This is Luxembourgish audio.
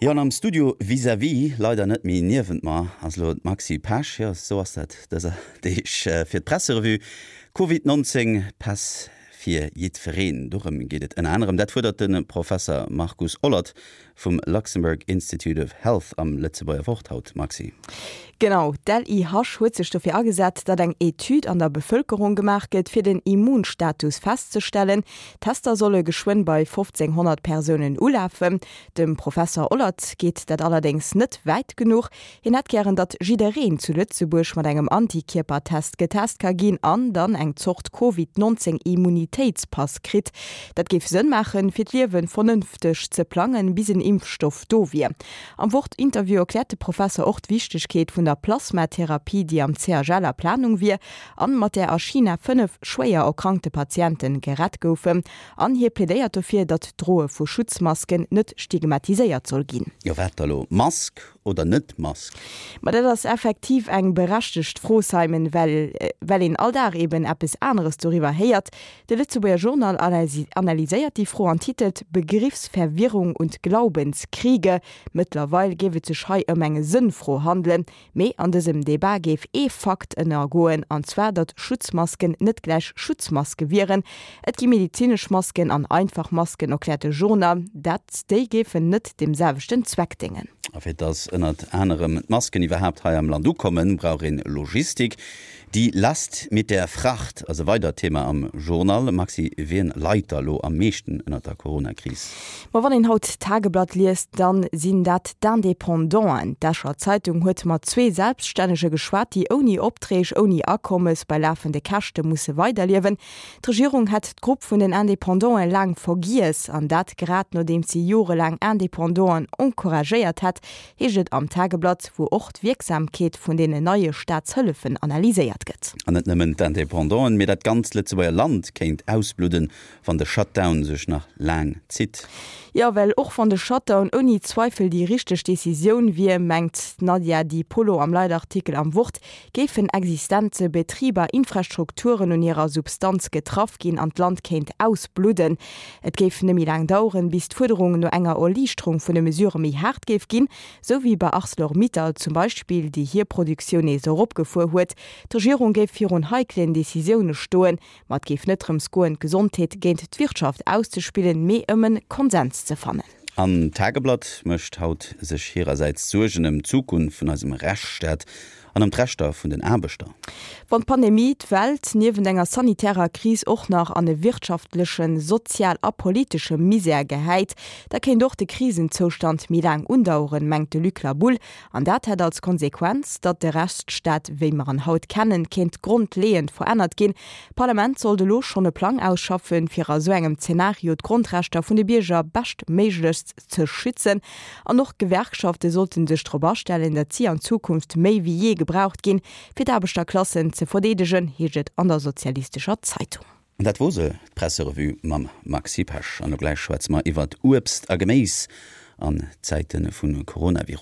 Jo, an am Studio vis-à-vis, leider net méi niewent mer, ass elo d'Maxi Pesch. Jo, esou ass dat dëser Deeg fir d'Presserevue. Covid 19, Päss fir jiddwereen, dorëm geet et ënner anerem. Dat fuerdert de Professer Markus Ollert vum Luxembourg Institute of Health am Lëtzebuerger Wort haut, Maxi. Genau, d'LIH huet sech dofir agesat, datt eng Etüd an der Bevëlkerung gemaach gëtt, fir den Immunstatus festzestellen. D'Tester solle geschwënn bei 1.500 Persounen ulafen. Dem Professer Ollert geet dat allerdéngs net wäit genuch. Hien hätt gären, datt jiddereen zu Lëtzebuerg mat engem Antikierpertest getest ka ginn an dann eng Zort Covid 19 Immunitéitspass kritt. Dat géif Sënn maachen, fir d'Liewe vernënfteg ze plangen, bis en Impfstoff do wier. Am Wort-Interview erkläert de Professer och d'Wichtegkeet vun der Plasmatherapie, déi am CHL a Planung wier an mat där a China 5 schwéier erkrankte Patiente gerett goufen. An hie plädéiert dofir, datt d'Droe vu Schutzmasken net stigmatiséiert soll ginn. Jo wat da lo? Mask oder net Mask? Ma dat ass effektiv eng berechtegt Fro, Simon, well well een all Dag eben eppes aneres doriwwer héiert. De Lëtzebuerger Journal analyséiert déi Fro an titelt Begriffsverwirrung und Glaubenskriege. Mëttlerweil géif et sech hei ëm eng Sënnfro handelen. Mee an dësem Debat géif ee Fakt ënnergoen, an zwar datt Schutzmasken net gläich Schutzmaske wieren. Et gi medezinesch Masken an einfach Masken, erkläert de Journal. Dat déi géifen net deem selwechten Zweck déngen. A fir datt ënnert anerem d'Masken iwwerhaapt hei am Land ukommen, brauch een Logistik. Die Last mit der Fracht ass e weidert Thema am Journal. Maxi, wien leit da lo am meeschten ënnert der Corona-Kris? Ma wann een haut d'Tageblatt liest, dann sinn dat d'Independanten. D'Escher Zeitung huet mat zwee Selbststännege geschwat, déi ouni Opträg, ouni Akommes, bei lafende Käschte musse weiderliewen. D'Regierung hätt d'Grupp vun den Independanten laang vergiess, an dat grad nodeems si jorelaang Independanten encouragéiert hätt, heescht et am Tageblatt, wou och d'Wierksamkeet vun deenen neie Staatshëllefen analyséiert gëtt. An net nëmmen d'Independanten, mee dat ganzt Lëtzebuerger Land kéint ausbludden, wann de Shutdown sech nach laang zitt. Jo, well och wann de Shutdown ouni Zweifel déi richteg Decisioun wier, mengt d'Nadia Di Polo am Leitartikel am Wort, géifen Existenze, Betriber, Infrastrukturen un hirer Substanz getraff ginn an d'Land kéint ausbludden. Et géif net méi laang daueren, bis d'Fuerderung no enger Erliichterung vun de Mesurë méi haart géif ginn, sou wéi bei Arcelor-Mittal zum Beispill, déi hir Produktioun nees eropgefuer huet. D'Regierung géif virun heiklen Decisioune stoen, Ma et géif net drëms goen, d'Gesondheet géint d'Wirtschaft auszespillen, mee ëm en Konsens ze fannen. An d'Tageblatt mécht haut sech hirersäits Suergen ëm d'Zukunft vun eisem Rechtsstaat an ëm d'Rechter vun den Aarbechter. Wann d'Pandemie d'Welt niewent enger sanitärer Kris och nach an e wirtschaftlechen, sozial a politesche Misär gehäit, da kéint och de Krisenzoustand méi laang undaueren, mengt de Luc Laboulle. An dat hätt als Konsequenz, datt de Rechtsstaat, wéi mer en haut kennen, kéint grondleeënd verännert ginn. D'Parlament sollt elo schonn e Plang ausschaffen, fir a sou engem Zenario d'Grondrechter vun de Bierger beschtméiglechst ze schützen. An och d'Gewerkschafte sollten sech drop astellen, datt si an Zukunft méi wéi jee gebraucht ginn, fir d'Aarbechterklassen ze verdeedegen, heescht et an der Sozialistescher Zeitung. An dat wor se, d'Presserevue mam Maxi Pesch. An elo gläich schwätze mer iwwert Uebst a Geméis an Zäite vu Coronavirus.